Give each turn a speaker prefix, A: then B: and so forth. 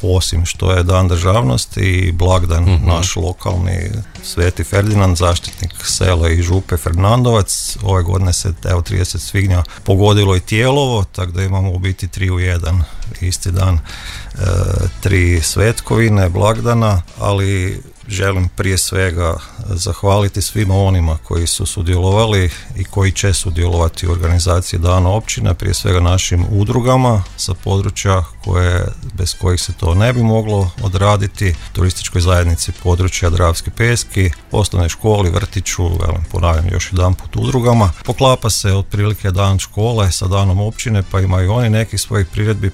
A: osim što je Dan državnosti i blagdan naš lokalni Sveti Ferdinand, zaštitnik sela i župe Ferdinandovac. Ove godine se 30. svibnja pogodilo i Tijelovo, tako da imamo u biti 3 u 1 isti dan, 3 svetkovine, blagdana, ali želim prije svega zahvaliti svima onima koji su sudjelovali i koji će sudjelovati u organizaciji Dana općine, prije svega našim udrugama sa područja bez kojih se to ne bi moglo odraditi, turističkoj zajednici područja Dravske Peski, osnovnoj školi, vrtiću, ponavljam još jedan put udrugama. Poklapa se otprilike dan škole sa danom općine, pa imaju oni nekih svojih priredbi,